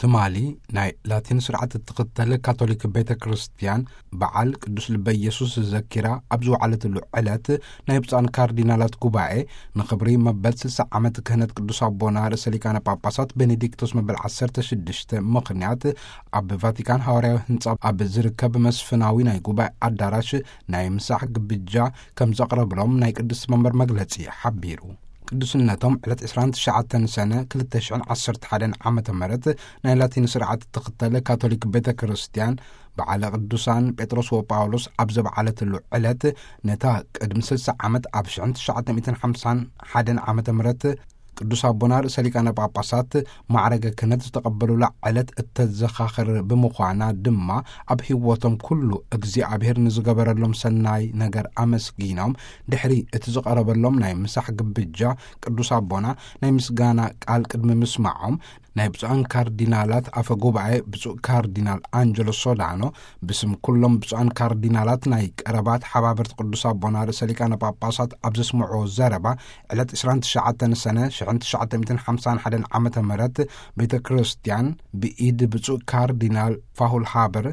ትማሊ ናይ ላቲን ስርዓት እትኽተል ካቶሊክ ቤተ ክርስቲያን በዓል ቅዱስ ልበ ኢየሱስ ዘኪራ ኣብ ዝወዓለትሉ ዕለት፣ ናይ ብፁዓን ካርዲናላት ጉባኤ ንኽብሪ መበል ስልሳ ዓመት ክህነት ቅዱስ ኣቦና ርእሰ ሊቃነ ጳጳሳት ቤኔዲክቶስ መበል ዓሰርተ ሽዱሽተ ምኽንያት፣ ኣብ ቫቲካን ሃዋርያዊ ህንጻ ኣብ ዝርከብ መስፍናዊ ናይ ጉባኤ ኣዳራሽ ናይ ምሳሕ ግብጃ ከም ዘቕረብሎም ናይ ቅድስቲ መንበር መግለጺ ሓቢሩ። ቅዱስነቶም ዕለት ዕስራን ትሽዓተን ሰነ ክልተ ሽሕን ዓሰርተ ሓደን ዓመተ ምህረት ናይ ላቲን ስርዓት እትኽተል ካቶሊክ ቤተ ክርስቲያን፣ በዓለ ቅዱሳን ጴጥሮስ ወጳውሎስ ኣብ ዘበዓለትሉ ዕለት፣ ነታ ቅድሚ ስልሳ ዓመት ኣብ ሽሕን ትሽዓተ ሚእትን ሓምሳን ሓደን ዓመተ ምህረት ቅዱስ ኣቦና ርእሰ ሊቃነ ጳጳሳት ማዕረገ ክህነት ዝተቐበሉላ ዕለት እተዘኻኽር ብምዃና ድማ፣ ኣብ ህይወቶም ኩሉ እግዚኣብሔር ንዝገበረሎም ሰናይ ነገር ኣመስጊኖም፣ ድሕሪ እቲ ዝቐረበሎም ናይ ምሳሕ ግብጃ፣ ቅዱስ ኣቦና ናይ ምስጋና ቃል ቅድሚ ምስማዖም፣ ናይ ብፁዓን ካርዲናላት ኣፈ ጉባኤ ብፁዕ ካርዲናል ኣንጀሎ ሶዳኖ፣ ብስም ኩሎም ብፁዓን ካርዲናላት ናይ ቀረባ ተሓባበርቲ ቅዱስ ኣቦና ርእሰ ሊቃነ ጳጳሳት ኣብ ዘስምዕዎ ዘረባ፣ ዕለት ዕስራን ትሽዓተን ሰነ ሽሕን ትሽዓተ ሚእትን ሓምሳን ሓደን ዓመተ ምህረት፣ ቤተ ክርስቲያን ብኢድ ብፁዕ ካርዲናል ፋሁል ሃበር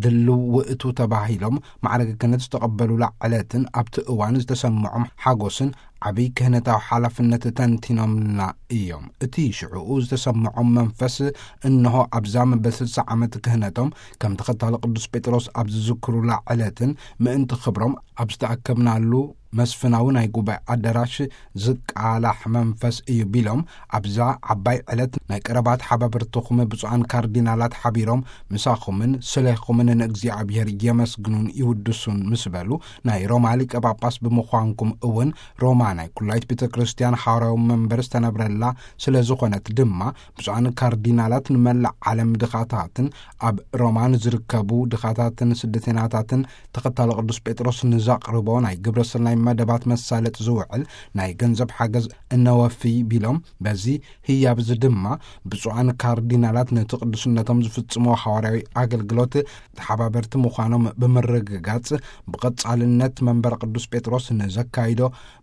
ድልው ውእቱ ተባሂሎም ማዕረገ ክህነት ዝተቐበሉላ ዕለትን ኣብቲ እዋን ዝተሰምዖም ሓጎስን ዓብይ ክህነታዊ ሓላፍነት ተንቲኖምልና እዮም። እቲ ሽዕኡ ዝተሰምዖም መንፈስ እንሆ ኣብዛ መበል ስልሳ ዓመት ክህነቶም ከም ተኸታሊ ቅዱስ ጴጥሮስ ኣብ ዝዝክሩላ ዕለትን ምእንቲ ክብሮም ኣብ ዝተኣከብናሉ መስፍናዊ ናይ ጉባኤ ኣዳራሽ ዝቃላሕ መንፈስ እዩ ቢሎም፣ ኣብዛ ዓባይ ዕለት ናይ ቀረባ ተሓባበርትኹም ብፁዓን ካርዲናላት ሓቢሮም ምሳኹምን ስለኹምን ንእግዚኣብሔር የመስግኑን ይውድሱን ምስ በሉ፣ ናይ ሮማ ሊቀ ጳጳስ ብምዃንኩም እውን ሮማ ናይ ኩላይት ቤተ ክርስቲያን ሓዋርያዊ መንበር ዝተነብረላ ስለ ዝኾነት ድማ፣ ብፁዓን ካርዲናላት ንመላእ ዓለም ድኻታትን ኣብ ሮማ ንዝርከቡ ድኻታትን ስደተኛታትን ተኸታሊ ቅዱስ ጴጥሮስ ንዘቕርቦ ናይ ግብረ ሰናይ መደባት መሳለጥ ዝውዕል ናይ ገንዘብ ሓገዝ እነወፊ ቢሎም፣ በዚ ህያብ እዚ ድማ ብፁዓን ካርዲናላት ነቲ ቅዱስነቶም ዝፍጽሞ ሓዋርያዊ ኣገልግሎት ተሓባበርቲ ምዃኖም ብምርግጋጽ፣ ብቐጻልነት መንበር ቅዱስ ጴጥሮስ ንዘካይዶ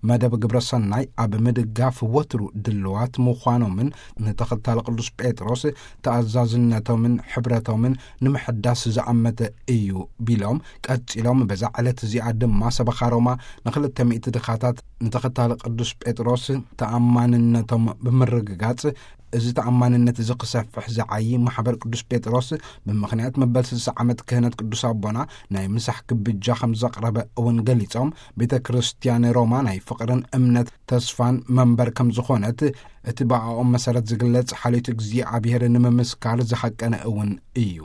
መደብ ግብረ ሰናይ ኣብ ምድጋፍ ወትሩ ድልዋት ምዃኖምን፣ ንተኸታሊ ቅዱስ ጴጥሮስ ተኣዛዝነቶምን ሕብረቶምን ንምሕዳስ ዝኣመተ እዩ ቢሎም፣ ቀጺሎም በዛ ዕለት እዚኣ ድማ ሰበኻ ሮማ ንኽልተ ሚእቲ ድኻታት ንተኸታሊ ቅዱስ ጴጥሮስ ተኣማንነቶም ብምርግጋጽ፣ እዚ ተኣማንነት እዚ ክሰፍሕ ዝዓዪ ማሕበር ቅዱስ ጴጥሮስ፣ ብምኽንያት መበል ስልሳ ዓመት ክህነት ቅዱስ ኣቦና ናይ ምሳሕ ግብጃ ከም ዘቕረበ እውን ገሊጾም፣ ቤተ ክርስቲያን ሮማ ናይ ፍቕርን እምነት ተስፋን መንበር ከም ዝኾነት፣ እቲ ብኣኦም መሰረት ዝግለጽ ሓልዮት እግዚኣብሔር ንምምስካር ዝሓቀነ እውን እዩ።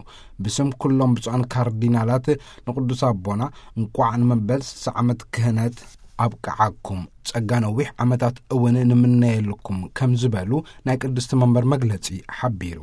ብስም ኩሎም ብፁዓን ካርዲናላት ንቅዱስ ኣቦና እንቋዕ ንመበል ስልሳ ዓመት ክህነት ኣብቅዓኩም፣ ጸጋ ነዊሕ ዓመታት እውን ንምነየልኩም ከም ዝበሉ ናይ ቅድስቲ መንበር መግለጺ ሓቢሩ።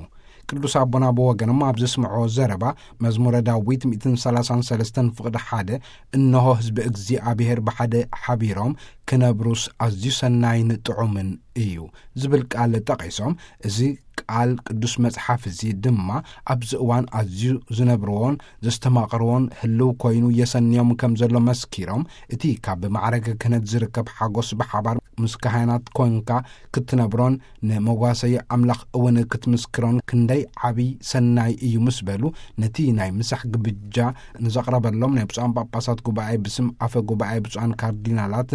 ቅዱስ ኣቦና ብወገኖም ኣብ ዘስምዕዎ ዘረባ፣ መዝሙረ ዳዊት ሚእትን ሰላሳን ሰለስተን ፍቕዲ ሓደ፣ "እንሆ ህዝቢ እግዚኣብሔር ብሓደ ሓቢሮም ክነብሩስ ኣዝዩ ሰናይን ጥዑምን እዩ" ዝብል ቃል ጠቒሶም፣ እዚ ቃል ቅዱስ መጽሓፍ እዚ ድማ ኣብዚ እዋን ኣዝዩ ዝነብርዎን ዘስተማቕርዎን ህልው ኮይኑ የሰንዮም ከም ዘሎ መስኪሮም፣ እቲ ካብ ማዕረገ ክህነት ዝርከብ ሓጎስ ብሓባር ምስ ካህናት ኮንካ ክትነብሮን ንመዋሰይ ኣምላኽ እውን ክትምስክሮን ክንደይ ዓብይ ሰናይ እዩ ምስ በሉ፣ ነቲ ናይ ምሳሕ ግብጃ ንዘቕረበሎም ናይ ብፁዓን ጳጳሳት ጉባኤ ብስም ኣፈ ጉባኤ ብፁዓን ካርዲናላት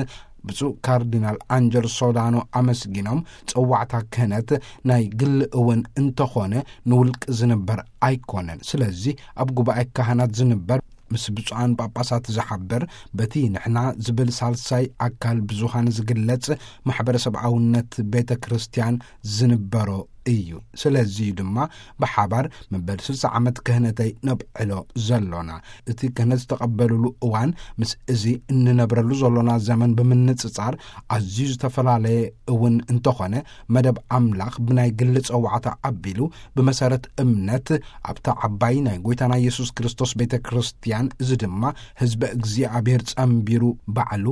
ብፁዕ ካርዲናል ኣንጀል ሶዳኖ ኣመስጊኖም፣ ጸዋዕታ ክህነት ናይ ግሊ እውን እንተኾነ ንውልቂ ዝንበር ኣይኮነን። ስለዚ ኣብ ጉባኤ ካህናት ዝንበር፣ ምስ ብፁዓን ጳጳሳት ዝሓብር፣ በቲ ንሕና ዝብል ሳልሳይ ኣካል ብዙሃን ዝግለጽ ማሕበረሰብኣውነት ቤተ ክርስቲያን ዝንበሮ እዩ። ስለዚ እዩ ድማ ብሓባር መበል ስልሳ ዓመት ክህነተይ ነብዕሎ ዘሎና። እቲ ክህነት ዝተቐበሉሉ እዋን ምስ እዚ እንነብረሉ ዘሎና ዘመን ብምንጽጻር ኣዝዩ ዝተፈላለየ እውን እንተኾነ፣ መደብ ኣምላኽ ብናይ ግሊ ጸዋዕታ ኣቢሉ ብመሰረት እምነት ኣብታ ዓባይ ናይ ጐይታና ኢየሱስ ክርስቶስ ቤተ ክርስቲያን፣ እዚ ድማ ህዝበ እግዚኣብሔር ጸንቢሩ ባዕሉ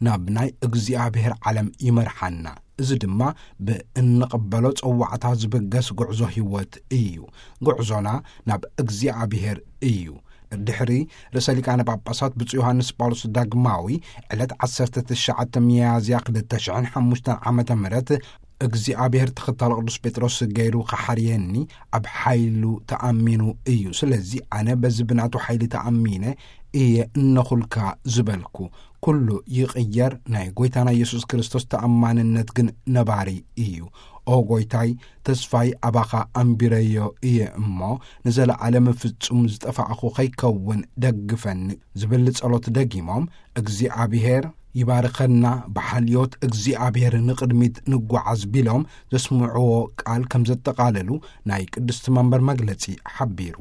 ናብ ናይ እግዚኣብሔር ዓለም ይመርሓና። እዚ ድማ ብእንቕበሎ ጸዋዕታ ዝብገስ ጉዕዞ ህይወት እዩ። ጉዕዞና ናብ እግዚኣብሔር እዩ። ድሕሪ ርእሰ ሊቃነ ጳጳሳት ብፁዕ ዮሃንስ ጳውሎስ ዳግማዊ ዕለት ዓሰርተ ትሽዓተ ሚያዝያ ክልተ ሽሕን ሓሙሽተን ዓመተ ምህረት እግዚኣብሔር ተኸታሊ ቅዱስ ጴጥሮስ ገይሩ ኸሓርየኒ ኣብ ሓይሉ ተኣሚኑ እዩ። ስለዚ ኣነ በዚ ብናቱ ሓይሊ ተኣሚነ እየ እነኹልካ ዝበልኩ። ኩሉ ይቕየር፣ ናይ ጐይታና ኢየሱስ ክርስቶስ ተኣማንነት ግን ነባሪ እዩ። ኦ ጐይታይ፣ ተስፋይ ኣባኻ ኣንቢረዮ እየ እሞ፣ ንዘለዓለም ፍጹም ዝጠፋዕኹ ኸይከውን ደግፈኒ ዝብል ጸሎት ደጊሞም፣ እግዚኣብሔር ይባርኸና፣ ብሓልዮት እግዚኣብሔር ንቕድሚት ንጓዓዝ ቢሎም ዘስምዕዎ ቃል ከም ዘጠቓለሉ ናይ ቅድስቲ መንበር መግለጺ ሓቢሩ።